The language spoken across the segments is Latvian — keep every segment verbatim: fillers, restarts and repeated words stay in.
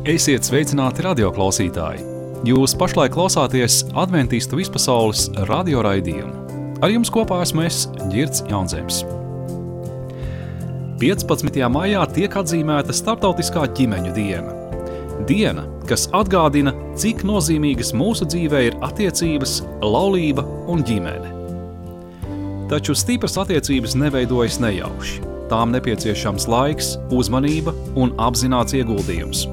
Esiet sveicināti radioklausītāji! Jūs pašlaik klausāties Adventistu vispasaules radio raidījumu. Ar jums kopā esmu es, Ģirds Jaunzems. piecpadsmitajā maijā tiek atzīmēta Startautiskā ģimeņu diena. Diena, kas atgādina, cik nozīmīgas mūsu dzīvē ir attiecības, laulība un ģimene. Taču stipras attiecības neveidojas nejauši. Tām nepieciešams laiks, uzmanība un apzināts ieguldījums.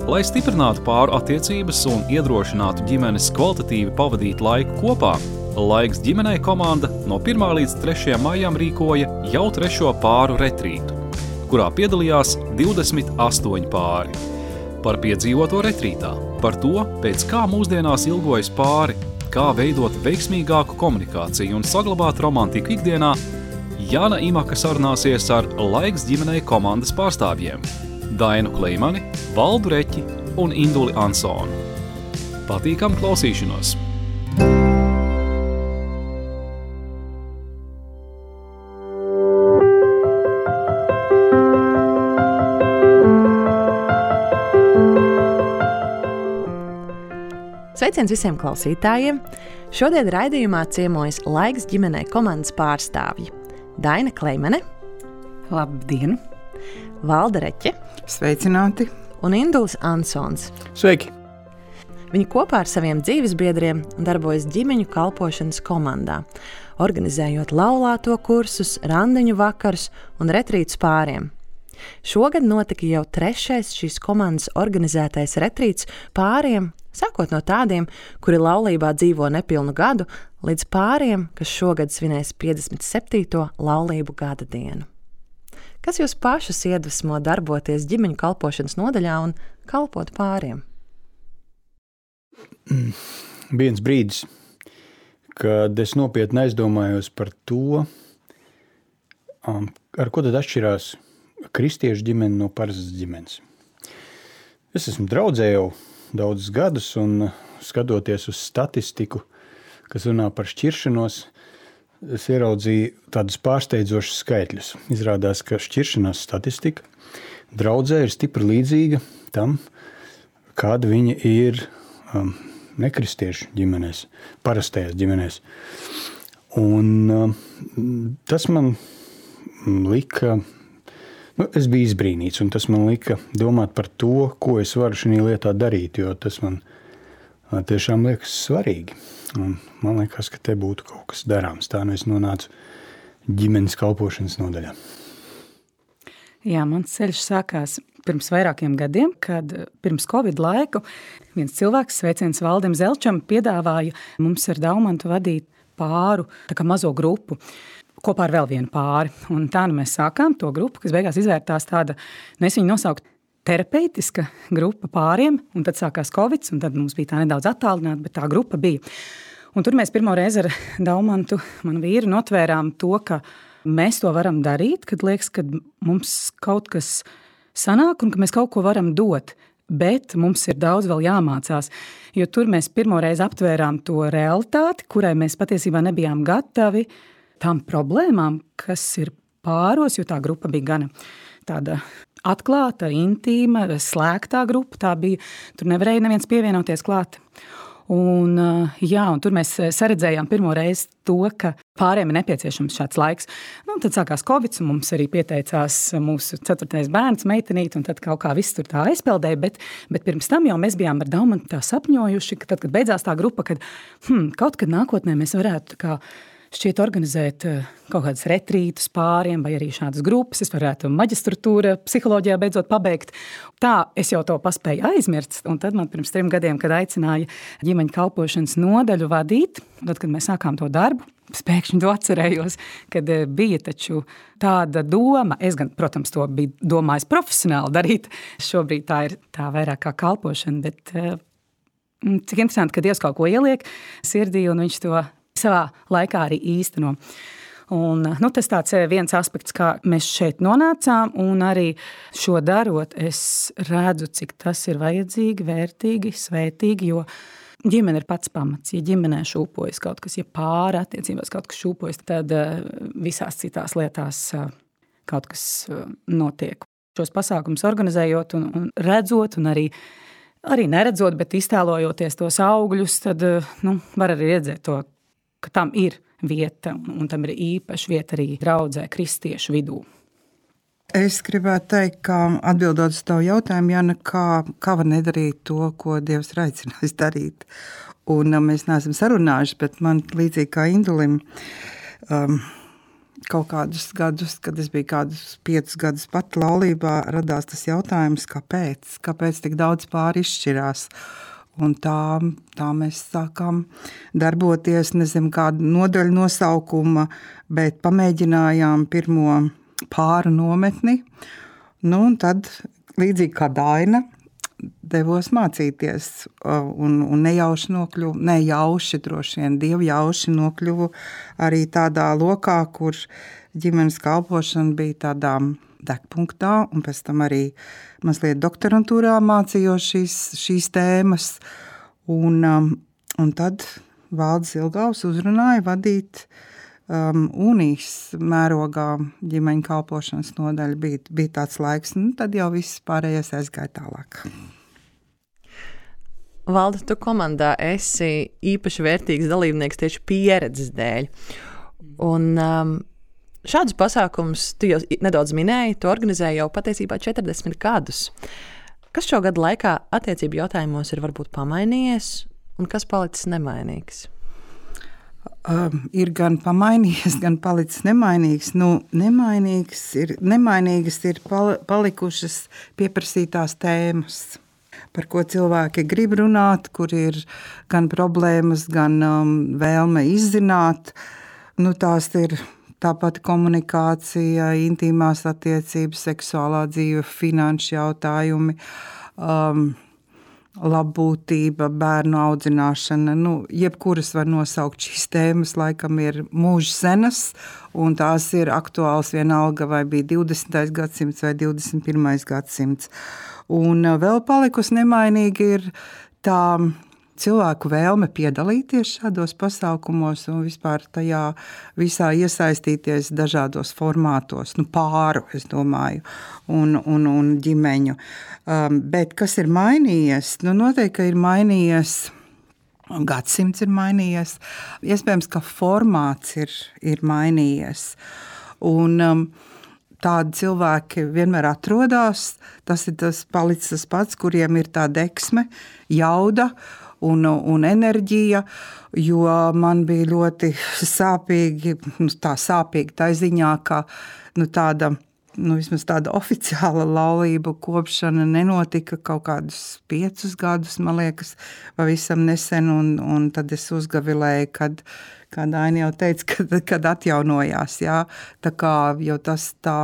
Lai stiprinātu pāru attiecības un iedrošinātu ģimenes kvalitatīvi pavadīt laiku kopā, Laiks ģimenei komanda no pirmā līdz trešajam maijam rīkoja jau trešo pāru retrītu, kurā piedalījās divdesmit astoņi pāri. Par piedzīvoto retrītā, par to, pēc kā mūsdienās ilgojas pāri, kā veidot veiksmīgāku komunikāciju un saglabāt romantiku ikdienā, Jāna Imaka sarunāsies ar Laiks ģimenei komandas pārstāvjiem Dainu Kleimani, Valdu Reķi un Induli Ansonu. Patīkam klausīšanos! Sveiciens visiem klausītājiem! Šodien raidījumā ciemojas Laiks ģimenei komandas pārstāvji Daina Kleimane. Labdien! Valda Reķe. Sveicināti! Un Induls Ansons. Sveiki! Viņi kopā ar saviem dzīvesbiedriem darbojas ģimeņu kalpošanas komandā, organizējot laulāto kursus, randiņu vakarus un retrītus pāriem. Šogad notika jau trešais šīs komandas organizētais retrīts pāriem, sākot no tādiem, kuri laulībā dzīvo nepilnu gadu, līdz pāriem, kas šogad svinēs piecdesmit septīto laulību gada dienu. Kas jūs pašus iedvesmo darboties ģimeņu kalpošanas nodaļā un kalpot pāriem? Mm, viens brīdis, kad es nopietni aizdomājos par to, um, ar ko tad atšķirās kristiešu ģimene no parastas ģimenes. Es esmu draudzē jau daudzus gadus un skatoties uz statistiku, kas runā par šķiršanos, es ieraudzīju tādus pārsteidzošus skaitļus. Izrādās, ka šķiršanās statistika draudzē ir stipri līdzīga tam, kāda viņa ir um, nekristiešu ģimenēs, parastajās ģimenēs. Un um, tas man lika, nu, es biju izbrīnīts, un tas man lika domāt par to, ko es varu šajā lietā darīt, jo tas man tiešām liekas svarīgi. Un man liekas, ka te būtu kaut kas darāms. Tā nu es nonācu ģimenes kalpošanas nodaļā. Jā, mans ceļš sākās pirms vairākiem gadiem, kad pirms Covid laiku viens cilvēks, sveiciens Valdim Zelčam, piedāvāja mums ar Daumantu vadīt pāru, tā kā mazo grupu, kopā ar vēl vienu pāri. Un tā nu mēs sākām to grupu, kas beigās izvērtās tāda, nu es viņu nosaukt, terapeitiska grupa pāriem, un tad sākās Covid, un tad mums bija tā nedaudz attālināta, bet tā grupa bija. Un tur mēs pirmo reizi ar Daumantu, manu vīru, notvērām to, ka mēs to varam darīt, kad liekas, ka mums kaut kas sanāk un ka mēs kaut ko varam dot, bet mums ir daudz vēl jāmācās, jo tur mēs pirmo reizi aptvērām to realitāti, kurai mēs patiesībā nebijām gatavi tām problēmām, kas ir pāros, jo tā grupa bija gana tāda atklāta, intīma, slēgtā grupa, tā bija, tur nevarēja neviens pievienoties klāt. Un, jā, un tur mēs saredzējām pirmo reizi to, ka pāriem ir nepieciešams šāds laiks. Nu, tad sākās Covid, un mums arī pieteicās mūsu ceturtais bērns, meitenīt, un tad kaut kā viss tur tā aizpeldēja, bet, bet pirms tam jau mēs bijām ar Daumantu tā sapņojuši, ka tad, kad beidzās tā grupa, kad hmm, kaut kad nākotnē mēs varētu tā kā šķiet organizēt kaut kādas retrītus pāriem vai arī šādas grupas. Es varētu maģistratūra psiholoģijā beidzot pabeigt. Tā es jau to paspēju aizmirst. Un tad man pirms trim gadiem, kad aicināja ģimeņu kalpošanas nodaļu vadīt, tad, kad mēs sākām to darbu, pēkšņi to atcerējos, kad bija taču tāda doma. Es gan, protams, to biju domājis profesionāli darīt. Šobrīd tā ir tā vairāk kā kalpošana, bet cik interesanti, ka Dievs kaut ko ieliek sirdī un viņš to savā laikā arī īsteno. Un, nu, tas tāds viens aspekts, kā mēs šeit nonācām, un arī šo darot, es redzu, cik tas ir vajadzīgi, vērtīgi, svētīgi, jo ģimene ir pats pamats. Ja ģimenē šūpojas kaut kas, ja pāri attiecībās kaut kas šūpojas, tad visās citās lietās kaut kas notiek. šos pasākumus organizējot un, un redzot, un arī, arī neredzot, bet iztēlojoties tos augļus, tad nu, var arī redzēt to, ka tam ir vieta, un, un tam ir īpaša vieta arī draudzē kristiešu vidū. Es gribētu teikt, ka atbildot uz tavu jautājumu, Jana, kā, kā var nedarīt to, ko Dievs ir aicinājis darīt. Un mēs neesam sarunājuši, bet man līdzīgi kā Indulim, um, kaut kādus gadus, kad es biju kādus piecus gadus pat laulībā, radās tas jautājums, kāpēc, kāpēc tik daudz pāri izšķirās. Un tā, tā mēs sākām darboties, nezinu, kādu nodaļu nosaukuma, bet pamēģinājām pirmo pāru nometni. Nu, un tad, līdzīgi kā Daina, devos mācīties un, un nejauši nokļuvu, nejauši droši vien, dievjauši nokļuvu arī tādā lokā, kur ģimenes kalpošana bija tādā degpunktā, un pēc tam arī mazliet doktorantūrā mācījos šīs, šīs tēmas. Un, un tad Valdis Ilgaus uzrunāja vadīt um, unijas mērogā ģimeņu kalpošanas nodaļa. Bija, bija tāds laiks, un tad jau viss pārējais aizgāja tālāk. Valda, tu komandā esi īpaši vērtīgs dalībnieks tieši pieredzes dēļ. Un um, šādus pasākumus tu jau nedaudz minēji, tu organizēji jau patiesībā četrdesmit gadus. Kas šo gadu laikā attiecību jautājumos ir varbūt pamainījies un kas palicis nemainīgs? Um, ir gan pamainījies, gan palicis nemainīgs. Nu, nemainīgs ir, nemainīgas ir palikušas pieprasītās tēmas, par ko cilvēki grib runāt, kur ir gan problēmas, gan um, vēlme izzināt. Nu, tās ir tāpat komunikācija, intīmās attiecības, seksuālā dzīve, finanšu jautājumi, um, labbūtība, bērnu audzināšana. Nu, jebkuras var nosaukt šīs tēmas, laikam ir mūža senas, un tās ir aktuāls vienalga, vai bija divdesmitais gadsimts vai divdesmit pirmais gadsimts. Un vēl palikusi nemainīgi ir tā cilvēku vēlme piedalīties šādos pasākumos un vispār tajā visā iesaistīties dažādos formātos, nu pāru, es domāju, un, un, un ģimeņu. Um, bet kas ir mainījies? Nu, noteikti, ka ir mainījies, gadsimts ir mainījies, iespējams, ka formāts ir, ir mainījies. Un um, tādi cilvēki vienmēr atrodās, tas ir tas palicis tas pats, kuriem ir tā deksme, jauda, Un, un enerģija, jo man bija ļoti sāpīgi, nu, tā sāpīgi tā ziņā, ka nu, tāda, nu, vismaz tāda oficiāla laulība kopšana nenotika kaut kādus piecus gadus, man liekas, pavisam nesen, un, un tad es uzgavilēju, kad, kad Aina jau teica, kad, kad atjaunojās, jā, tā kā jau tas tā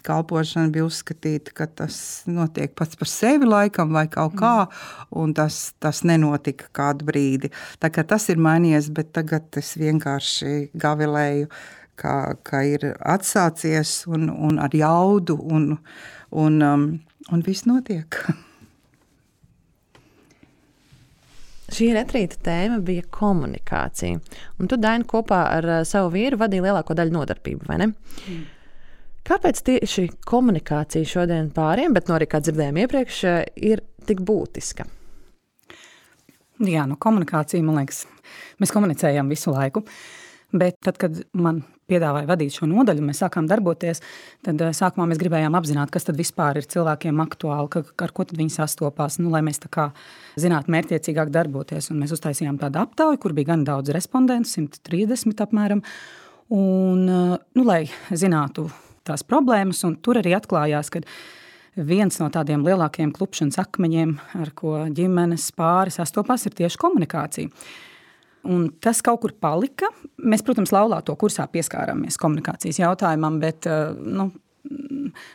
kalpošana bija uzskatīta, ka tas notiek pats par sevi laikam vai kaut kā, un tas, tas nenotika kādu brīdi. Tā kā tas ir mainījies, bet tagad es vienkārši gavilēju, ka, ka ir atsācies un, un ar jaudu, un, un, um, un viss notiek. Šī retrīta tēma bija komunikācija, un tu, Daina, kopā ar savu vīru vadīji lielāko daļu nodarbību, vai ne? Mm. Kāpēc tieši komunikācija šodien pāriem, bet no arī, kā dzirdējām iepriekš, ir tik būtiska? Jā, nu komunikācija, man liekas, mēs komunicējam visu laiku, bet tad, kad man piedāvāja vadīt šo nodaļu, mēs sākām darboties, tad sākumā mēs gribējām apzināt, kas tad vispār ir cilvēkiem aktuāli, ka, ar ko tad viņi sastopās, nu, lai mēs tā kā zinātu mērķiecīgāk darboties. Un mēs uztaisījām tādu aptauju, kur bija gan daudz respondentu, simt trīsdesmit apmēram, un, nu, lai zinātu tās problēmas, un tur arī atklājās, ka viens no tādiem lielākajiem klupšanas akmeņiem, ar ko ģimenes pāri sastopās, ir tieši komunikācija. Un tas kaut kur palika. Mēs, protams, laulāto kursā pieskārāmies komunikācijas jautājumam, bet nu,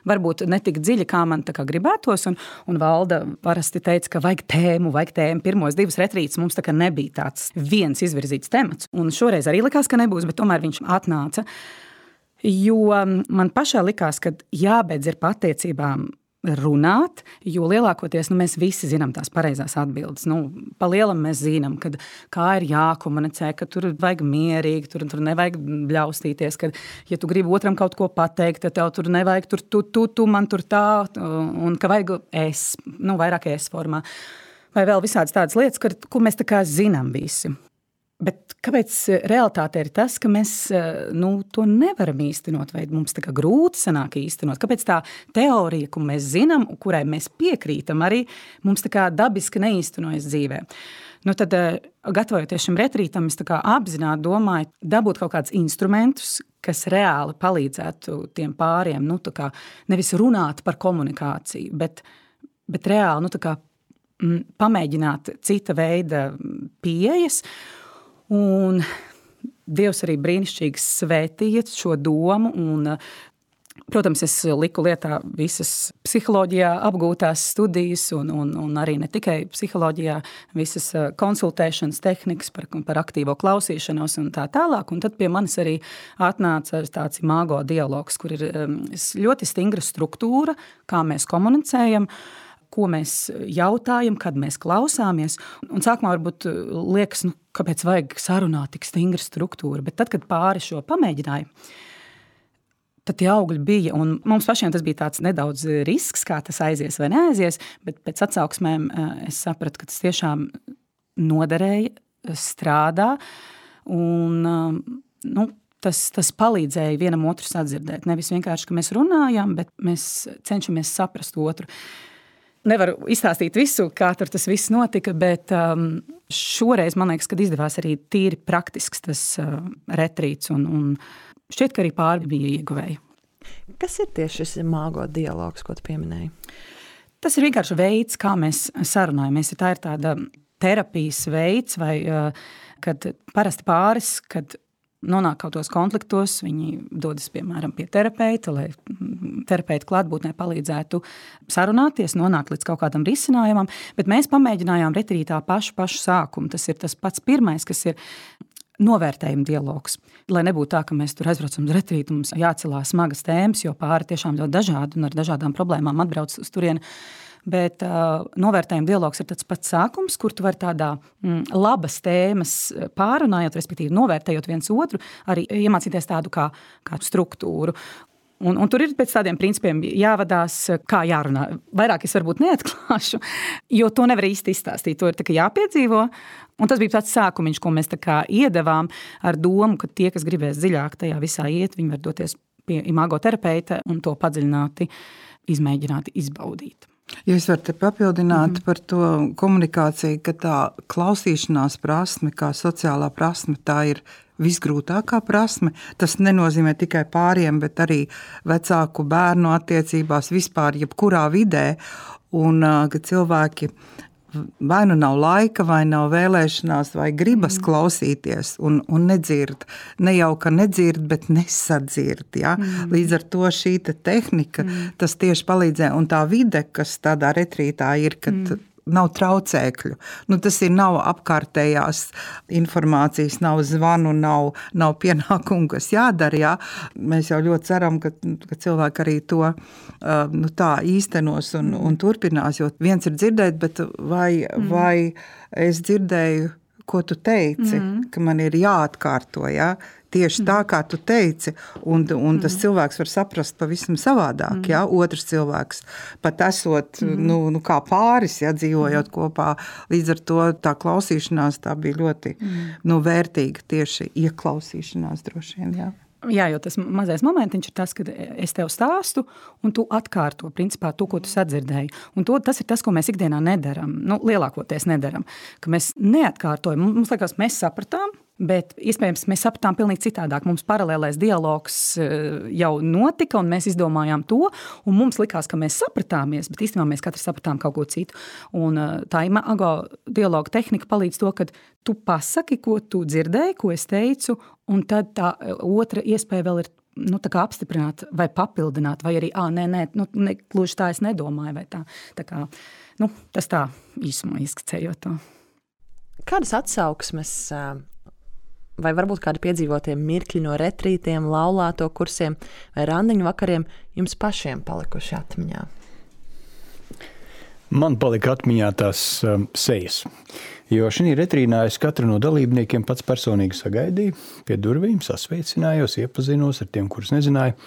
varbūt ne tik dziļi, kā man tā kā gribētos. Un, un Valda parasti teica, ka vajag tēmu, vajag tēmu. Pirmos divas retrītes mums tā kā nebija tāds viens izvirzīts temats. Un šoreiz arī likās, ka nebūs, bet tomēr viņš atnāca. Jo man pašā likās, ka jābeidz ir pa attiecībām runāt, jo lielākoties nu, mēs visi zinām tās pareizās atbildes. Nu, pa lielam mēs zinām, kad, kā ir jākomunicē, ka tur vajag mierīgi, tur, tur nevajag bļaustīties, ka, ja tu gribi otram kaut ko pateikt, tad tev tur nevajag tur tu, tu, tu man tur tā, un ka vajag es, nu, vairāk es formā. Vai vēl visādas tādas lietas, ka, ko mēs tā kā zinām visi. Bet kāpēc realitāte ir tas, ka mēs nu, to nevaram īstenot, vai mums tā kā grūti sanāk īstenot? Kāpēc tā teorija, ko mēs zinām, kurai mēs piekrītam, arī mums tā kā dabiski neīstenojas dzīvē? Nu, tad, gatavojoties šim retrītam, es tā kā apzināti domāju, dabūt kaut kādus instrumentus, kas reāli palīdzētu tiem pāriem, nu, tā kā nevis runāt par komunikāciju, bet, bet reāli, nu, tā kā m, pamēģināt cita veida pieejas. Un Dievs arī brīnišķīgi svētīja šo domu, un, protams, es liku lietā visas psiholoģijā apgūtās studijas, un, un, un arī ne tikai psiholoģijā, visas konsultēšanas tehnikas par, par aktīvo klausīšanos un tā tālāk, un tad pie manis arī atnāca tāds imago dialogs, kur ir ļoti stingra struktūra, kā mēs komunicējam, ko mēs jautājam, kad mēs klausāmies. Un sākumā varbūt liekas, nu, kāpēc vajag sarunāt tik stingra struktūra, bet tad, kad pāri šo pamēģināja, tad tie augļi bija, un mums pašiem tas bija tāds nedaudz risks, kā tas aizies vai neaizies, bet pēc atsauksmēm es sapratu, ka tas tiešām noderēja, strādā, un, nu, tas, tas palīdzēja vienam otru sadzirdēt. Nevis vienkārši, ka mēs runājam, bet mēs cenšamies saprast otru. Nevaru izstāstīt visu, kā tur tas viss notika, bet um, šoreiz, man liekas, kad izdevās arī tīri praktisks tas uh, retrīts, un, un šķiet, ka arī pāri bija ieguvēji. Kas ir tieši šis imago dialogs, ko tu pieminēji? Tas ir vienkārši veids, kā mēs sarunājamies. Tā ir tāda terapijas veids, vai uh, kad parasti pāris, kad nonāk kaut tos konfliktos, viņi dodas, piemēram, pie terapeita, lai terapeita klātbūtnē palīdzētu sarunāties, nonākt līdz kaut kādam risinājumam, bet mēs pamēģinājām retrītā pašu, pašu sākumu. Tas ir tas pats pirmais, kas ir novērtējuma dialogs. Lai nebūtu tā, ka mēs tur aizbraucam uz retrītu, mums jācelās smagas tēmas, jo pāri tiešām ļoti dažādi un ar dažādām problēmām atbrauc uz turieni. Bet uh, novērtējuma dialogs ir tāds pats sākums, kur tu vari tādā mm, labas tēmas pārunājot, respektīvi novērtējot viens otru, arī iemācīties tādu kā, kā struktūru. Un, un tur ir pēc tādiem principiem jāvadās, kā jārunā. Vairāk es varbūt neatklāšu, jo to nevar īsti izstāstīt. To ir tā kā jāpiedzīvo. Un tas bija tāds sākumiņš, ko mēs tā kā iedevām ar domu, ka tie, kas gribēs dziļāk tajā visā iet, viņi var doties pie imago terapeita un to padziļināti izmēģināt, izbaudīt. Ja es varu te papildināt mm-hmm. par to komunikāciju, ka tā klausīšanās prasme, kā sociālā prasme, tā ir visgrūtākā prasme. Tas nenozīmē tikai pāriem, bet arī vecāku bērnu attiecībās vispār, jebkurā vidē, un ka cilvēki vai nu nav laika, vai nav vēlēšanās, vai gribas mm. klausīties un, un nedzird. Ne jau, ka nedzird, bet nesadzird. Ja? Mm. Līdz ar to šī te tehnika, mm. tas tieši palīdzē. Un tā vide, kas tādā retrītā ir, kad mm. nav traucēkļu. Nu, tas ir nav apkārtējās informācijas, nav zvanu, nav, nav pienākumu, kas jādara. Jā. Mēs jau ļoti ceram, ka, ka cilvēki arī to uh, nu, tā īstenos un, un turpinās, jo viens ir dzirdēt, bet vai, mm. vai es dzirdēju, ko tu teici, mm. ka man ir jāatkārto, jā? Tieši tā, kā tu teici, un, un tas mm. cilvēks var saprast pavisam savādāk, mm. ja? Otrs cilvēks, pat esot, mm. nu, nu, kā pāris, ja, dzīvojot mm. kopā, līdz ar to tā klausīšanās tā bija ļoti mm. nu, vērtīga, tieši ieklausīšanās droši vien, jā. Jā, jo tas mazais momentiņš ir tas, kad es tev stāstu, un tu atkārto, principā, to, ko tu sadzirdēji. Un to, tas ir tas, ko mēs ikdienā nedaram, nu, lielākoties nedaram, ka mēs neatkārtojam. Mums liekas, mēs sapratām, bet iespējams mēs sapratām pilnīgi citādāk. Mums paralēlais dialogs jau notika, un mēs izdomājām to, un mums likās, ka mēs sapratāmies, bet īstenībā mēs katrs sapratām kaut ko citu. Un tā imago dialoga tehnika palīdz to, ka tu pasaki, ko tu dzirdēji, ko es teicu, un tad tā otra iespēja vēl ir nu, tā kā apstiprināt vai papildināt, vai arī, ā, nē, nē, nu, ne, gluži tā es nedomāju, vai tā. Tā kā, nu, tas tā īsumā izskicējot to. Kādas atsauksmes vai varbūt kādi piedzīvotie mirkļi no retrītiem, laulāto kursiem vai randiņu vakariem jums pašiem palikuši atmiņā? Man palika atmiņā tās um, sejas, jo šī retrīnā es katru no dalībniekiem pats personīgi sagaidīju, pie durvīm sasveicinājos, iepazinos ar tiem, kurus nezināju,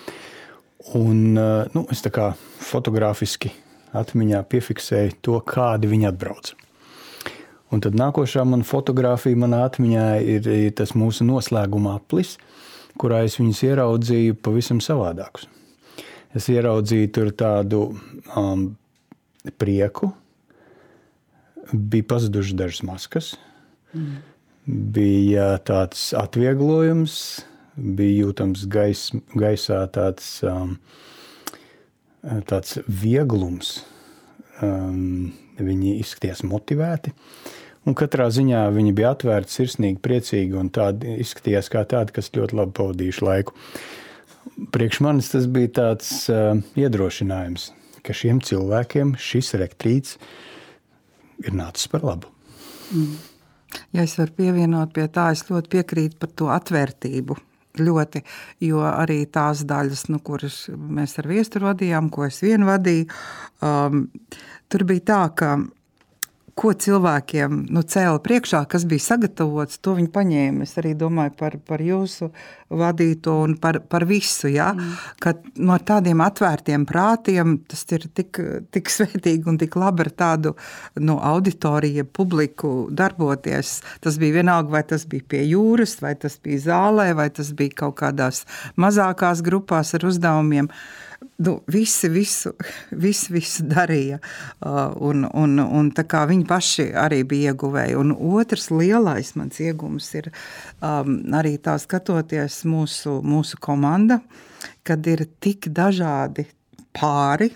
un uh, nu, es tā kā fotogrāfiski atmiņā piefiksēju to, kādi viņi atbrauc. Un tad nākošā man fotogrāfija manā atmiņā ir, ir tas mūsu noslēguma aplis, kurā es viņus ieraudzīju pavisam savādākus. Es ieraudzīju tur tādu um, prieku, bija pazudušas dažas maskas, mm. bija tāds atvieglojums, bija jūtams gais, gaisā tāds, um, tāds vieglums. Um, viņi izskatījās motivēti. Un katrā ziņā viņi bija atvērti, sirsnīgi, priecīgi un tādi izskatījās kā tādi, kas ļoti labi pavadījuši laiku. Priekš manis tas bija tāds uh, iedrošinājums, ka šiem cilvēkiem šis retrīts ir nācis par labu. Mm. Ja es varu pievienot pie tā, es ļoti piekrītu par to atvērtību. Ļoti, jo arī tās daļas, nu, kuras mēs ar viesturu vadījām, ko es vien vadīju, um, tur bija tā, ka ko cilvēkiem nu, cēla priekšā, kas bija sagatavots, to viņi paņēma. Es arī domāju par, par jūsu vadīto un par, par visu, ja? mm. ka no tādiem atvērtiem prātiem tas ir tik, tik svētīgi un tik labi ar tādu no auditoriju publiku darboties. Tas bija vienalga, vai tas bija pie jūras, vai tas bija zālē, vai tas bija kaut kādās mazākās grupās ar uzdevumiem. Nu, visi visu, visu, visu darīja, uh, un, un, un tā kā viņi paši arī bija ieguvēji. Un otrs lielais mans iegums ir um, arī tā skatoties mūsu, mūsu komanda, kad ir tik dažādi pāri,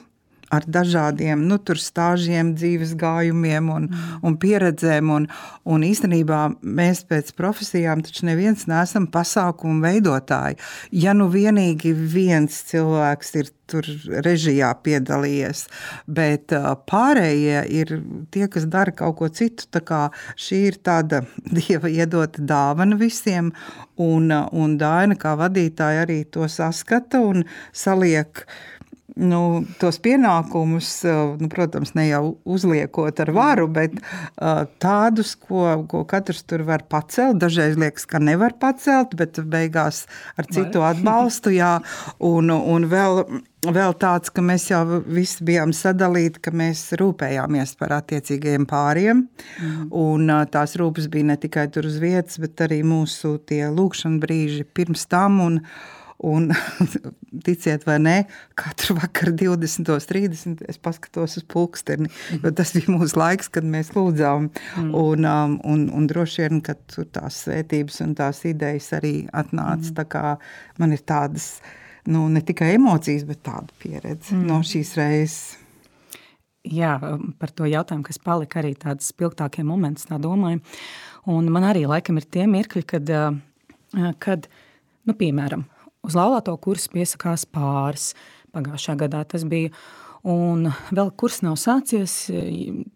ar dažādiem nu, tur stāžiem, dzīves gājumiem un, mm. un pieredzēm. Un, un īstenībā mēs pēc profesijām taču neviens neesam pasākumu veidotāji. Ja nu vienīgi viens cilvēks ir tur režijā piedalījies, bet pārējie ir tie, kas dara kaut ko citu. Tā kā šī ir tāda Dieva iedota dāvana visiem, un, un Daina kā vadītāja arī to saskata un saliek Nu, tos pienākumus, nu, protams, ne jau uzliekot ar varu, bet uh, tādus, ko, ko katrs tur var pacelt. Dažreiz liekas, ka nevar pacelt, bet beigās ar citu atbalstu, jā. Un, un vēl, vēl tāds, ka mēs jau visi bijām sadalīti, ka mēs rūpējāmies par attiecīgajiem pāriem. Mm. Un uh, tās rūpes bija ne tikai tur uz vietas, bet arī mūsu tie lūkšana brīži pirms tam un Un, ticiet vai nē, katru vakaru divdesmit trīsdesmit es paskatos uz pulksteni, jo tas bija mūsu laiks, kad mēs lūdzām. Mm. Un, um, un, un droši vien, ka tur tās svētības un tās idejas arī atnāca. Mm. Tā kā man ir tādas, nu, ne tikai emocijas, bet tāda pieredze mm. no šīs reizes. Jā, par to jautājumu, kas palika arī tāds spilgtākie moments, tā domāju. Un man arī laikam ir tie mirkļi, kad, kad nu, piemēram, uz laulāto kursu piesakās pāris. Pagājušā gadā tas bija. Un vēl kurs nav sācies.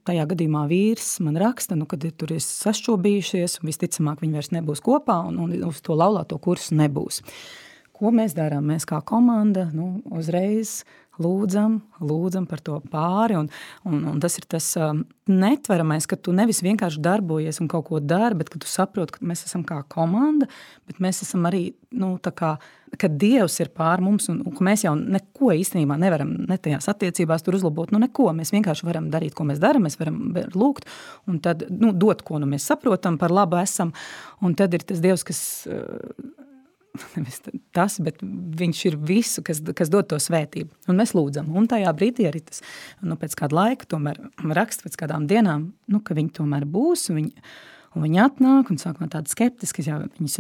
Tajā gadījumā vīrs man raksta, nu, kad tur ir sašķobījušies, un visticamāk viņi vairs nebūs kopā, un, un uz to laulāto kursu nebūs. Ko mēs darām? Mēs kā komanda nu, uzreiz lūdzam, lūdzam par to pāri, un, un, un tas ir tas um, netveramais, ka tu nevis vienkārši darbojies un kaut ko dari, bet ka tu saproti, ka mēs esam kā komanda, bet mēs esam arī, nu, tā kā, ka Dievs ir pār mums, un, un ka mēs jau neko īstenībā nevaram ne tajās attiecībās tur uzlabot, nu neko, mēs vienkārši varam darīt, ko mēs daram, mēs varam lūgt, un tad, nu, dot, ko nu mēs saprotam, par labu esam, un tad ir tas Dievs, kas... Uh, nevis tas, bet viņš ir visu, kas, kas dod to svētību. Un mēs lūdzam. Un tajā brīdī arī tas, nu, pēc kāda laika tomēr raksta pēc kādām dienām, nu, ka viņi tomēr būs, un viņi, un viņi atnāk, un sākumā tādi skeptiski, jā, viņas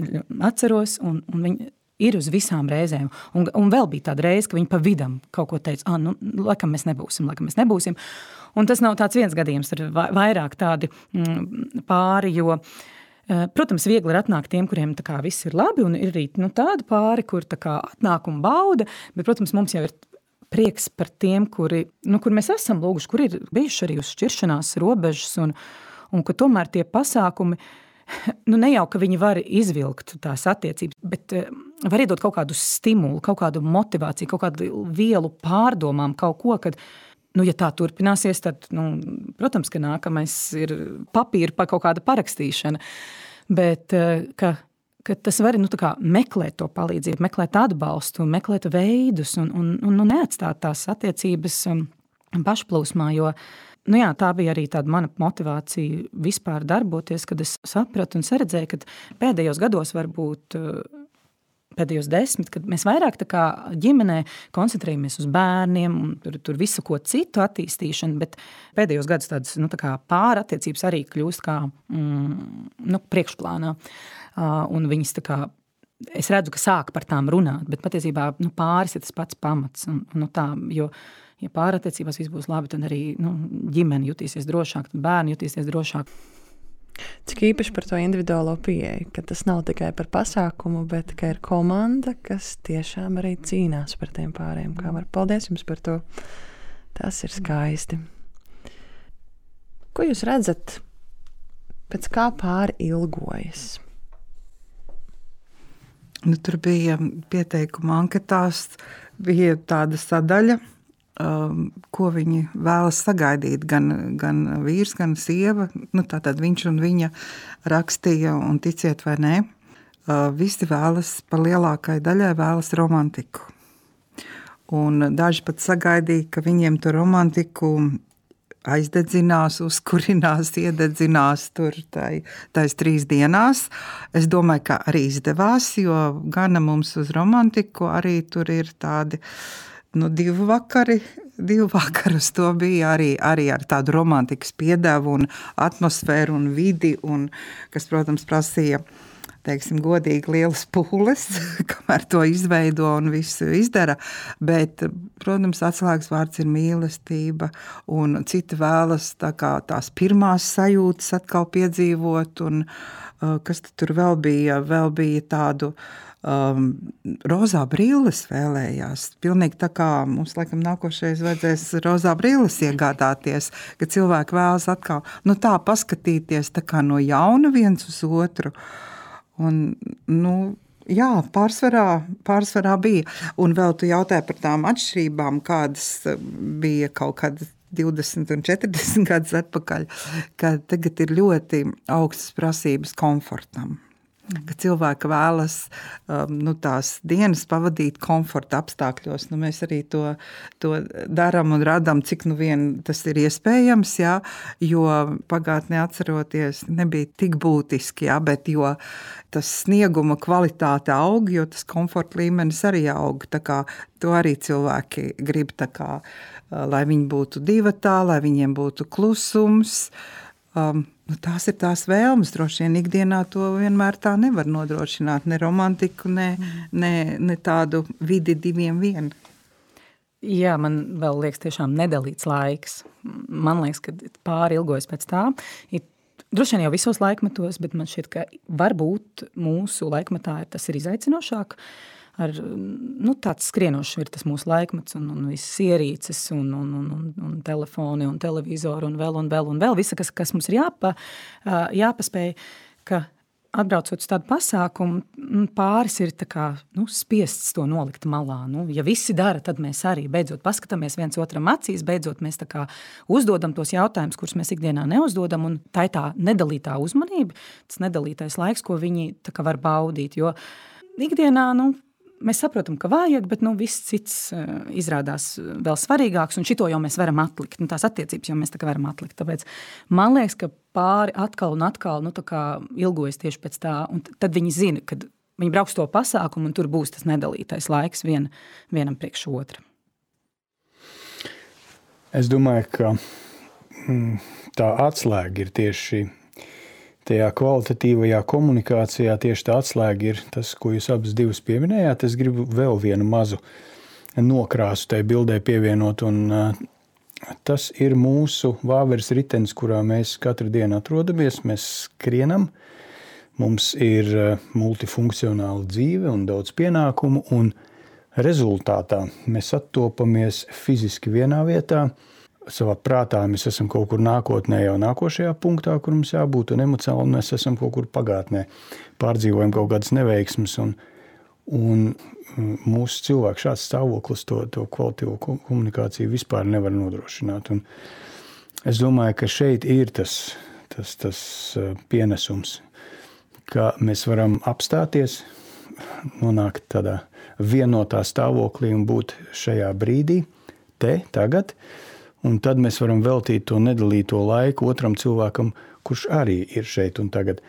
atceros, un, un viņi ir uz visām reizēm. Un, un vēl bija tāda reize, ka viņi pa vidam kaut ko teica, ah, nu, laikam mēs nebūsim, laikam mēs nebūsim. Un tas nav tāds viens gadījums, tur vairāk tādi mm, pāri, jo protams, viegli ir atnākt tiem, kuriem tā kā viss ir labi, un ir arī nu, tādi pāri, kur tā kā atnāk un bauda, bet, protams, mums jau ir prieks par tiem, kuri, nu, kur mēs esam lūguši, kur ir bijuši arī uz šķiršanās robežas, un, un ka tomēr tie pasākumi, nu, ne jau, ka viņi var izvilkt tās attiecības, bet var iedot kaut kādu stimulu, kaut kādu motivāciju, kaut kādu vielu pārdomām, kaut ko, kad Nu, ja tā turpināsies, tad, nu, protams, ka nākamais ir papīra pa kaut kāda parakstīšana. Bet, ka, ka tas var, nu, tā kā meklēt to palīdzību, meklēt atbalstu, meklēt veidus un, un, un neatstāt tās attiecības pašplūsmā, jo, nu jā, tā bija arī tāda mana motivācija vispār darboties, kad es sapratu un saredzēju, ka pēdējos gados varbūt pēdējos desmit, kad mēs vairāk tā kā ģimenē koncentrējamies uz bērniem un tur, tur visu ko citu attīstīšanu, bet pēdējos gadus tādas, nu, tā kā pārattiecības arī kļūst kā, mm, nu, priekšplānā. Uh, un viņas tā kā, es redzu, ka sāk par tām runāt, bet patiesībā, nu, pāris ir tas pats pamats. Un, nu, tā, jo, ja pārattiecībās viss būs labi, tad arī, nu, ģimene jutīsies drošāk, tad bērni jutīsies drošāk. Cik īpaši par to individuālo pieeju, ka tas nav tikai par pasākumu, bet ka ir komanda, kas tiešām arī cīnās par tiem pāriem. Kā var, paldies jums par to. Tas ir skaisti. Ko jūs redzat, pēc kā pāri ilgojas? Nu, tur bija pieteikuma anketās, bija tāda sadaļa, um, ko viņi vēlas sagaidīt, gan, gan vīrs, gan sieva. Nu, tātad viņš un viņa rakstīja, un ticiet vai nē, uh, visi vēlas, par lielākai daļai vēlas romantiku. Un daži pat sagaidīja, ka viņiem to romantiku aizdedzinās, uzkurinās, iededzinās tur tai, tais trīs dienās. Es domāju, ka arī izdevās, jo gana mums uz romantiku arī tur ir tādi, nu, divi vakari, divi vakarus to bija arī, arī ar tādu romantikas piedevu un atmosfēru un vidi, un, kas, protams, prasīja, teiksim, godīgi lielas pūles, kamēr to izveido un visu izdara, bet, protams, atslēgas vārds ir mīlestība, un citi vēlas tā kā tās pirmās sajūtas atkal piedzīvot, un kas tur vēl bija, vēl bija tādu um, rozā brilles vēlējās, pilnīgi tā kā mums, laikam, nākošais vajadzēs rozā brilles iegādāties, ka cilvēki vēlas atkal, nu tā paskatīties tā kā no jauna viens uz otru. Un, nu, jā, pārsvarā, pārsvarā bija. Un vēl tu jautāji par tām atšķirībām, kādas bija kaut kad divdesmit un četrdesmit gadus atpakaļ, kad tagad ir ļoti augstas prasības komfortam. Ka cilvēki vēlas um, nu, tās dienas pavadīt komforta apstākļos. Nu, mēs arī to, to daram un radam, cik nu vien tas ir iespējams, jā, jo pagātnē atceroties nebija tik būtiski, jā, bet jo tas snieguma kvalitāte aug, jo tas komforta līmenis arī aug. Tā kā to arī cilvēki grib, tā kā, lai viņi būtu divatā, lai viņiem būtu klusums. Um, nu, tās ir tās vēlmes, droši vien ikdienā to vienmēr tā nevar nodrošināt, ne romantiku, ne, ne, ne tādu vidi diviem vien. Jā, man vēl liekas tiešām nedalīts laiks. Man liekas, ka pāri ilgojas pēc tā. Ir droši vien jau visos laikmetos, bet man šķiet, ka varbūt mūsu laikmetā tas ir izaicinošāk. Ar, nu, tāds skrienošs ir tas mūsu laikmets un, un visas ierīces un, un, un, un telefoni un televizori un vēl un vēl un vēl visa, kas, kas mums ir jāpa, jāpaspēj, ka atbraucot uz tādu pasākumu, pāris ir tā kā, nu, spiests to nolikt malā. Nu, ja visi dara, tad mēs arī beidzot paskatāmies viens otram acīs, beidzot mēs tā kā uzdodam tos jautājumus, kurus mēs ikdienā neuzdodam, un tā ir tā nedalītā uzmanība, tas nedalītais laiks, ko viņi tā kā var baudīt, jo ikdienā, nu, mēs saprotam, ka vajag, bet nu, viss cits uh, izrādās vēl svarīgāks, un šito jau mēs varam atlikt. Nu, tās attiecības jau mēs tā kā varam atlikt. Tāpēc man liekas, ka pāri atkal un atkal nu, tā kā ilgojas tieši pēc tā, un tad viņi zina, kad viņi brauks to pasākumu, un tur būs tas nedalītais laiks vien, vienam priekš otra. Es domāju, ka mm, tā atslēga ir tieši tajā kvalitatīvajā komunikācijā, tieši tā atslēga ir tas, ko jūs abas divas pieminējāt. Es gribu vēl vienu mazu nokrāsu tai bildē pievienot, un uh, tas ir mūsu vāveres ritenis, kurā mēs katru dienu atrodamies. Mēs skrienam, mums ir uh, multifunkcionāla dzīve un daudz pienākumu, un rezultātā mēs attopamies fiziski vienā vietā. Savā prātā mēs esam kaut kur nākotnē, jau nākošajā punktā, kur mums jābūt, un emocionāli mēs esam kaut kur pagātnē. Pārdzīvojam kaut kādas neveiksmes, un, Un mūsu cilvēku šāds stāvoklis to, to kvalitīvo komunikāciju vispār nevar nodrošināt. Un es domāju, ka šeit ir tas, tas, tas pienesums, ka mēs varam apstāties, nonākt tādā vienotā stāvoklī un būt šajā brīdī, te, tagad, un tad mēs varam veltīt to nedalīto laiku otram cilvēkam, kurš arī ir šeit un tagad.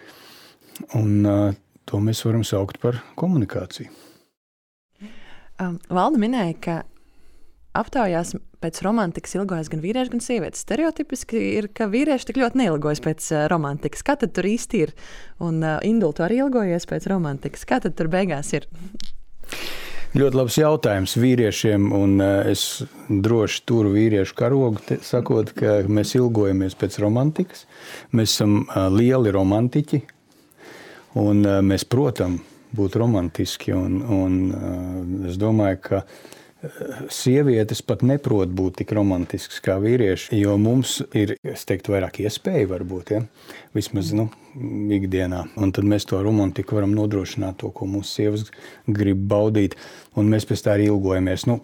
Un uh, to mēs varam saukt par komunikāciju. Um, Valda minēja, ka aptaujās pēc romantikas ilgojas gan vīrieši, gan sievietes. Stereotipiski ir, ka vīrieši tik ļoti neilgojas pēc uh, romantikas. Kā tad tur īsti ir? Un uh, Indul, tu arī ilgojies pēc romantikas. Kā tad tur beigās ir? Ļoti labs jautājums vīriešiem, un uh, es droši turu vīriešu karogu, te, sakot, ka mēs ilgojamies pēc romantikas. Mēs esam uh, lieli romantiķi, un uh, mēs, protams, būt romantiski, un, un uh, es domāju, ka sievietes pat neprot būt tik romantisks kā vīrieši, jo mums ir, es teiktu, vairāk iespēju varbūt, ja? Vismaz, nu, ikdienā. Un tad mēs to romantiku varam nodrošināt to, ko mūsu sievas grib baudīt, un mēs pēc tā arī ilgojamies. Nu,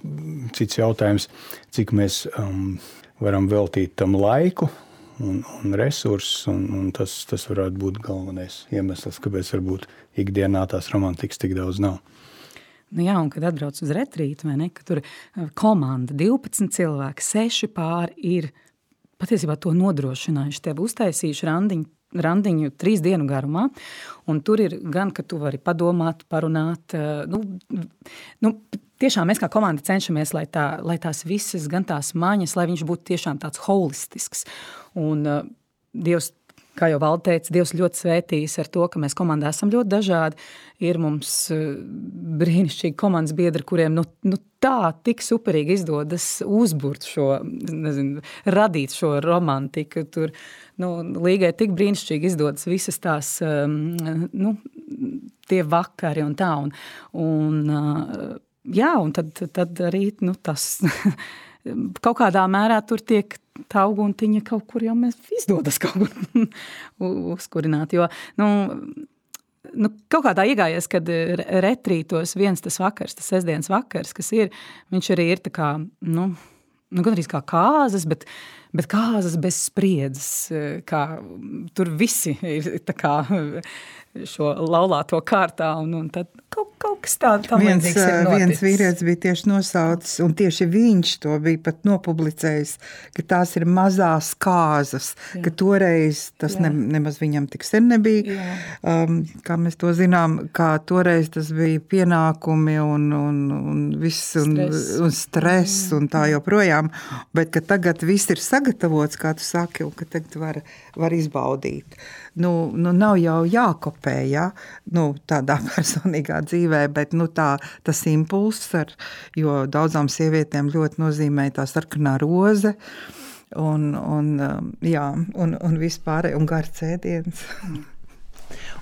cits jautājums, cik mēs um, varam veltīt tam laiku un, un resursus, un, un tas, tas varētu būt galvenais iemesls, kāpēc varbūt ikdienā tās romantikas tik daudz nav. Nu jā, un kad atbrauc uz retrītu, vai ne, ka tur komanda, divpadsmit cilvēki, seši pāri ir patiesībā to nodrošinājuši, tev uztaisījuši randiņu, randiņu trīs dienu garumā, un tur ir gan, ka tu vari padomāt, parunāt, nu, nu tiešām mēs kā komanda cenšamies, lai, tā, lai tās visas, gan tās maņas, lai viņš būtu tiešām tāds holistisks, un uh, Dievs, kā jau Valda teica, Dievs ļoti svētījis ar to, ka mēs komandā esam ļoti dažādi. Ir mums brīnišķīgi komandas biedri, kuriem nu, nu tā tik superīgi izdodas uzburt šo, nezinu, radīt šo romantiku. Tur, nu, līgai tik brīnišķīgi izdodas visas tās, nu, tie vakari un tā. Un, un jā, un tad, tad arī, nu, tas kaut kādā mērā tur tiek tā uguntiņa kaut kur jau mēs izdodas kaut kur uzkurināt, jo, nu, nu, kaut kādā iegājies, kad retrītos viens tas vakars, tas sestdienas vakars, kas ir, viņš arī ir tā kā, nu, nu gandrīz kā kāzas, bet, bet kāzas bez spriedzes, kā tur visi ir tā kā šo laulāto kārtā, un, un tad kaut, kaut kas tā, tam viens, līdzīgs ir noticis. Viens vīrietis bija tieši nosaucis, un tieši viņš to bija pat nopublicējis, ka tās ir mazās kāzas, Jā. Ka toreiz tas ne, nemaz viņam tik sen nebija, um, kā mēs to zinām, kā toreiz tas bija pienākumi un, un, un viss, un stress, un, stress mm. un tā joprojām, bet ka tagad viss ir sagatavots, kā tu saki, un ka tagad var, var izbaudīt. Nu, nu nav jau jākopē, ja? Nu, tādā personīgā dzīvē, bet nu, tā, tas impulss, ar, jo daudzām sievietēm ļoti nozīmē tā sarkanā roze un, un, jā, un, un vispār, un garš ēdiens.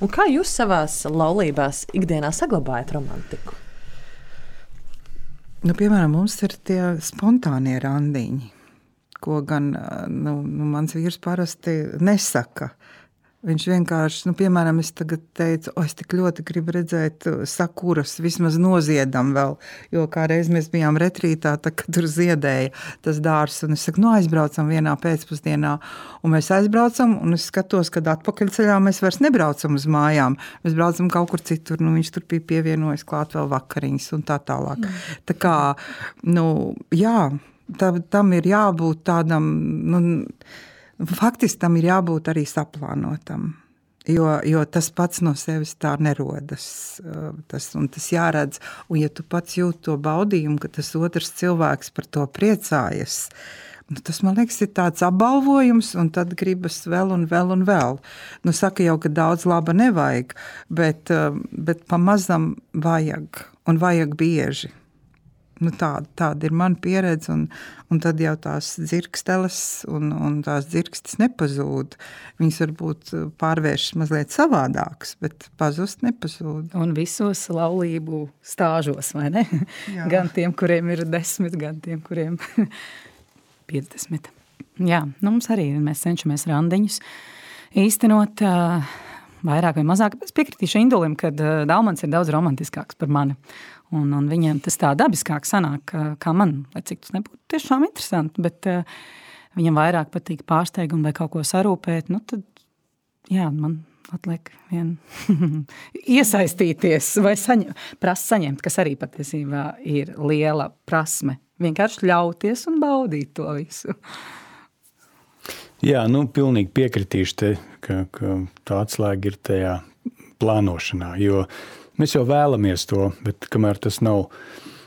Un kā jūs savās laulībās ikdienā saglabājat romantiku? Nu, piemēram, mums ir tie spontānie randiņi, ko gan nu, nu, mans vīrs parasti nesaka. Viņš vienkārši, nu, piemēram, es tagad teicu, o, es tik ļoti gribu redzēt sakuras, vismaz noziedam vēl, jo kādreiz mēs bijām retrītā, tā, kad tur ziedēja tas dārs, un es saku, nu, aizbraucam vienā pēcpusdienā, un mēs aizbraucam, un es skatos, kad atpakaļceļā mēs vairs nebraucam uz mājām, mēs braucam kaut kur citur, nu, viņš tur bija pievienojis klāt vēl vakariņas un tā tālāk. Mm. Tā kā, nu, jā, tā, tam ir jābūt tādam, nu, faktiski tam ir jābūt arī saplānotam, jo, jo tas pats no sevis tā nerodas. Tas, un tas jāredz. Un ja tu pats jūti to baudījumu, ka tas otrs cilvēks par to priecājas, nu, tas, man liekas, ir tāds apbalvojums, un tad gribas vēl un vēl un vēl. Nu, saka jau, ka daudz laba nevajag, bet, bet pamazam vajag, un vajag bieži. Nu, tāda, tāda ir mana pieredze, un, un tad jau tās dzirksteles un, un tās dzirkstes nepazūd. Viņas varbūt pārvēršas mazliet savādākas, bet pazust nepazūd. Un visos laulību stāžos, vai ne? Jā. Gan tiem, kuriem ir desmit, gan tiem, kuriem piecdesmit. Jā, nu mums arī mēs cenšamies randiņus īstenot. vairāk vai mazāk. Es piekritīšu Indulim, ka Daumans ir daudz romantiskāks par mani. Un, un viņiem tas tā dabiskāk sanāk, kā man, lai cik tas nebūtu tiešām interesanti, bet uh, viņam vairāk patīk pārsteigumi vai kaut ko sarūpēt, nu tad, jā, man atliek vien iesaistīties vai saņem, prast saņemt, kas arī patiesībā ir liela prasme. Vienkārši ļauties un baudīt to visu. Jā, nu, pilnīgi piekritīšu te, ka, ka tā atslēga ir tajā plānošanā, jo mēs jau vēlamies to, bet kamēr tas nav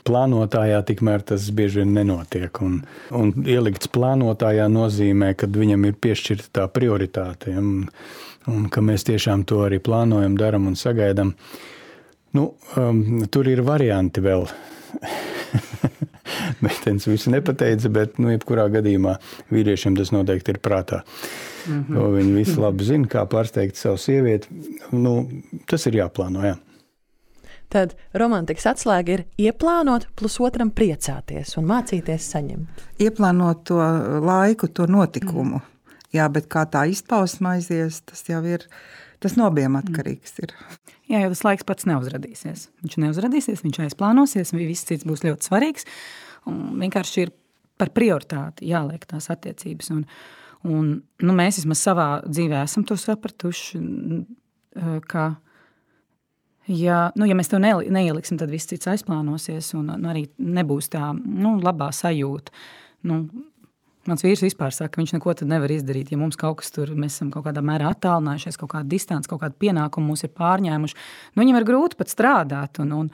plānotājā, tikmēr tas bieži vien nenotiek. Un, un ielikts plānotājā nozīmē, kad viņam ir piešķirta tā prioritāte, un, un ka mēs tiešām to arī plānojam, daram un sagaidam. Nu, um, tur ir varianti vēl. Meitenes visu nepateica, bet, nu, jebkurā gadījumā vīriešiem tas noteikti ir prātā. Mm-hmm. Viņi visi labi zina, kā pārsteigt savu sievieti. Nu, tas ir jāplāno, jā. Tad romantikas atslēga ir ieplānot, plus otram priecāties un mācīties saņemt. Ieplānot to laiku, to notikumu. Mm. Jā, bet kā tā izpausme aizies, tas jau ir, tas no abiem atkarīgs ir. Jā, jo tas laiks pats neuzradīsies. Viņš neuzradīsies, viņš aizplānosies, un viss cits būs ļoti svarīgs. Un vienkārši ir par prioritāti jāliek tās attiecības. Un, un nu, mēs vismaz savā dzīvē esam to sapratuši, ka Ja, nu, ja mēs to neieliksim, tad viss cits aizplānosies un nu, arī nebūs tā nu, labā sajūta. Nu, mans vīrs vispār saka, ka viņš neko tad nevar izdarīt. Ja mums kaut kas tur, mēs esam kaut kādā mērā attālinājušies, kaut kāda distance, kaut kāda pienākuma mūs ir pārņēmuši, nu, viņam ir grūti pat strādāt. Un, un,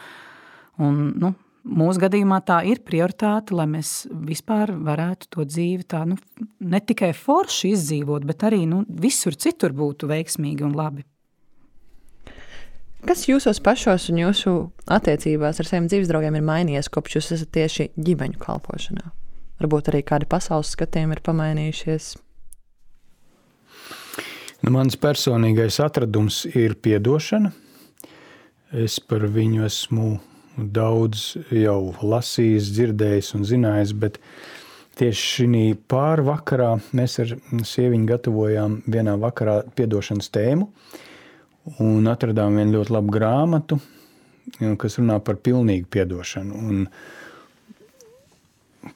un, nu, mūsu gadījumā tā ir prioritāte, lai mēs vispār varētu to dzīvi tā, nu, ne tikai forši izdzīvot, bet arī nu, visur citur būtu veiksmīgi un labi. Kas jūsos pašos un jūsu attiecībās ar saviem dzīves draugiem ir mainījies, kopš jūs esat tieši ģimeņu kalpošanā? Varbūt arī kādi pasaules skatījumi ir pamainījušies? Nu, mans personīgais atradums ir piedošana. Es par viņu esmu daudz jau lasījis, dzirdējis un zinājis, bet tieši šī pārvakarā mēs ar sieviņu gatavojām vienā vakarā piedošanas tēmu. Un atradām vienu ļoti labu grāmatu, kas runā par pilnīgu piedošanu. Un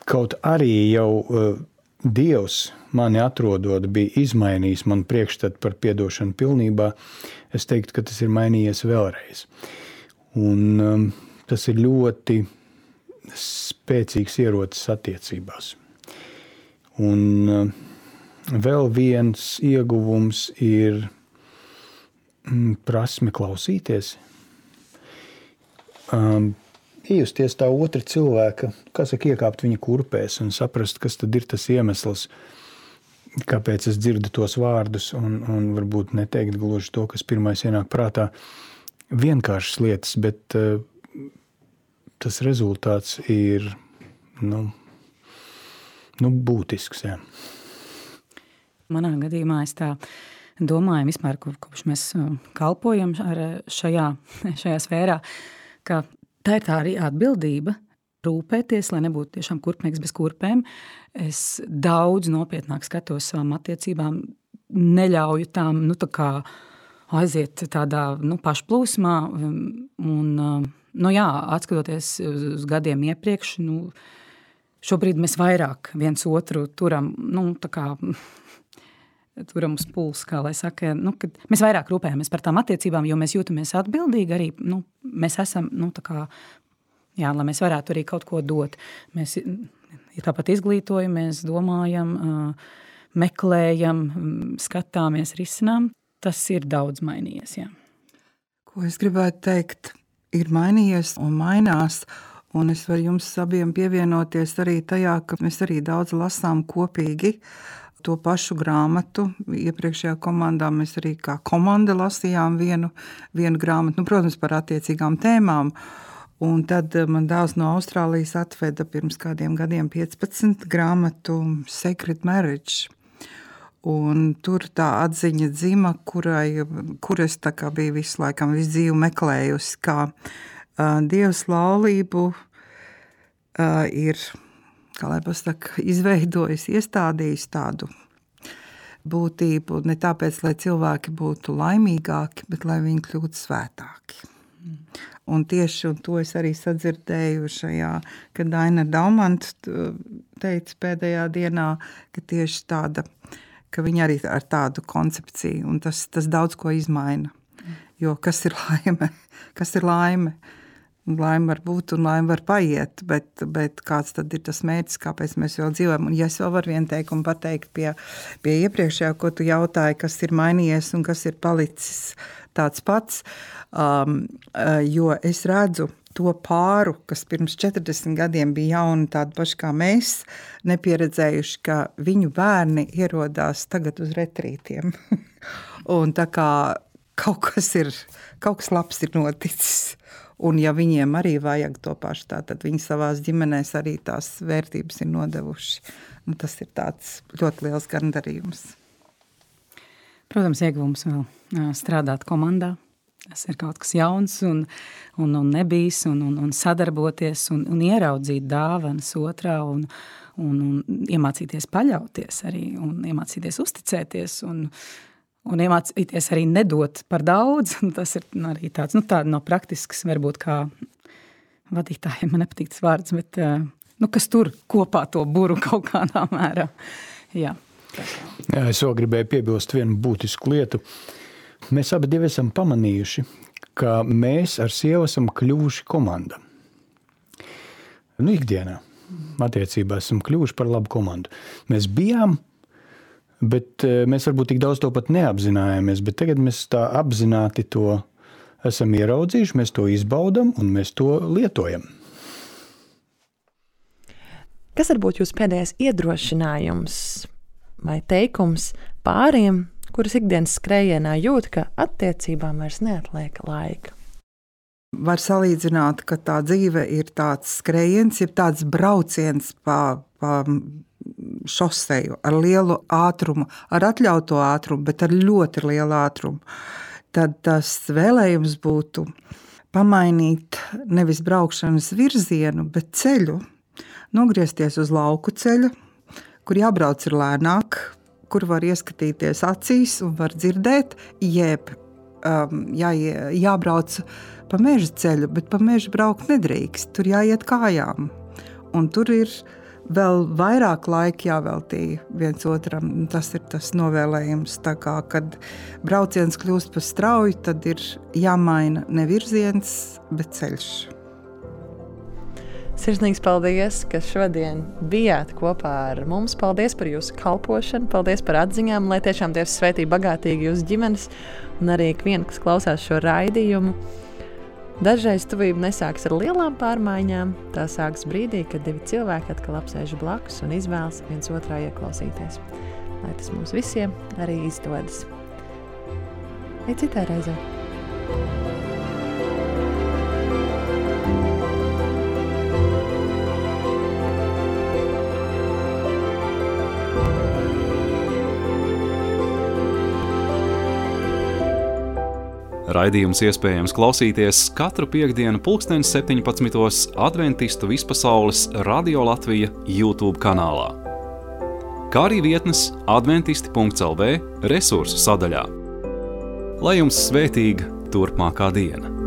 kaut arī jau uh, Dievs mani atrodot bija izmainījis man priekšstatu par piedošanu pilnībā, es teiktu, ka tas ir mainījies vēlreiz. Un um, tas ir ļoti spēcīgs ierocis attiecībās. Un uh, vēl viens ieguvums ir prasme klausīties, um, iejusties tā otra cilvēka, kā saka, iekāpt viņa kurpēs un saprast, kas tad ir tas iemesls, kāpēc es dzirdu tos vārdus un, un varbūt neteikt gluži to, kas pirmais ienāk prātā. Vienkāršas lietas, bet uh, tas rezultāts ir nu, nu būtisks. Jā. Manā gadījumā es tā domājam vispār, kopš mēs kalpojam ar šajā, šajā sfērā, ka tā ir tā arī atbildība rūpēties, lai nebūtu tiešām kurpnieks bez kurpēm. Es daudz nopietnāk skatos savām attiecībām, neļauju tām nu, tā kā aiziet tādā nu, pašplūsmā. Un, nu, jā, atskatoties uz gadiem iepriekš, nu, šobrīd mēs vairāk viens otru turam, nu, tā kā turam uz pulsu, kā lai saka, nu, kad mēs vairāk rūpējamies par tām attiecībām, jo mēs jūtamies atbildīgi arī, nu, mēs esam, nu, tā kā, jā, lai mēs varētu arī kaut ko dot. Mēs ja tāpat izglītojamies, domājam, meklējam, skatāmies, risinām. Tas ir daudz mainījies, jā. Ko es gribētu teikt, ir mainījies un mainās, un es varu jums abiem pievienoties arī tajā, ka mēs arī daudz lasām kopīgi to pašu grāmatu. Iepriekšējā komandā mēs arī kā komanda lasījām vienu, vienu grāmatu, nu, protams, par attiecīgām tēmām. Un tad man dēls no Austrālijas atveda pirms kādiem gadiem piecpadsmit grāmatu Sacred Marriage. Un tur tā atziņa dzima, kurai, kur es tā kā biju visu laikam visu dzīvi meklējusi, kā uh, Dievs laulību uh, ir, kā lai pasaka, izveidojis, iestādījis tādu būtību, ne tāpēc, lai cilvēki būtu laimīgāki, bet lai viņi kļūtu svētāki. Mm. Un tieši un to es arī sadzirdēju šajā, kad Daina Daumanta teica pēdējā dienā, ka tieši tāda, ka viņa arī ar tādu koncepciju, un tas, tas daudz ko izmaina. Jo kas ir laime? Kas ir laime? Laime var būt un laime var paiet, bet, bet kāds tad ir tas mērķis, kāpēc mēs vēl dzīvojam? Un ja es vēl varu vienu teikumu pateikt pie, pie iepriekšējā, ko tu jautāji, kas ir mainījies un kas ir palicis tāds pats, um, jo es redzu to pāru, kas pirms četrdesmit gadiem bija jauni tādi paši kā mēs, nepieredzējuši, ka viņu bērni ierodās tagad uz retrītiem. Un tā kā kaut kas ir, kaut kas labs ir noticis. Un ja viņiem arī vajag to pašu, tā, tad viņi savās ģimenēs arī tās vērtības ir nodevuši. Un tas ir tāds ļoti liels gandarījums. Protams, ieguvums vēl strādāt komandā. Tas ir kaut kas jauns un, un, un nebijis, un, un, un sadarboties un, un ieraudzīt dāvanas otrā un, un, un iemācīties paļauties arī un iemācīties uzticēties un Un iemācīties arī nedot par daudz. Tas ir arī tāds, nu tāda no praktiskas, varbūt kā vadītājiem, man nepatīk tas vārds, bet, nu, kas tur kopā to buru kaut kādā mērā. Jā. Jā, es vēl gribēju piebilst vienu būtisku lietu. Mēs abi divi esam pamanījuši, ka mēs ar sievu esam kļuvuši komanda. Nu, ikdienā attiecībā esam kļuvuši par labu komandu. Mēs bijām, bet mēs varbūt tik daudz to pat neapzinājāmies, bet tagad mēs tā apzināti to esam ieraudzījuši, mēs to izbaudam un mēs to lietojam. Kas varbūt jūs pēdējais iedrošinājums vai teikums pāriem, kuras ikdienas skrējienā jūt, ka attiecībām vairs neatliek laika? Var salīdzināt, ka tā dzīve ir tāds skrējiens, ir tāds brauciens pa, pa šoseju ar lielu ātrumu, ar atļauto ātrumu, bet ar ļoti lielu ātrumu. Tad tas vēlējums būtu pamainīt nevis braukšanas virzienu, bet ceļu, nogriezties uz lauku ceļu, kur jābrauc ir lēnāk, kur var ieskatīties acīs un var dzirdēt, jeb um, jā, jābrauc pa meža ceļu, bet pa mežu braukt nedrīkst, tur jāiet kājām. Un tur ir vēl vairāk laika jāveltī viens otram. Tas ir tas novēlējums. Tā kā, kad brauciens kļūst par strauju, tad ir jāmaina ne virziens, bet ceļš. Sirsnīgs paldies, ka šodien bijāt kopā ar mums. Paldies par jūsu kalpošanu, paldies par atziņām, lai tiešām Dievs svētī bagātīgi jūsu ģimenes un arī ikvienu, kas klausās šo raidījumu. Dažreiz tuvība nesāks ar lielām pārmaiņām, tā sāks brīdī, kad divi cilvēki atkal apsēž blakus un izvēlas viens otrā ieklausīties. Lai tas mums visiem arī izdodas. Līdz citai reizē. Raidījums iespējams klausīties katru piektdienu pulksteni septiņpadsmitos Adventistu vispasaules Radio Latvija YouTube kanālā, kā arī vietnes adventisti punkts el vē resursu sadaļā. Lai jums svētīga turpmākā diena!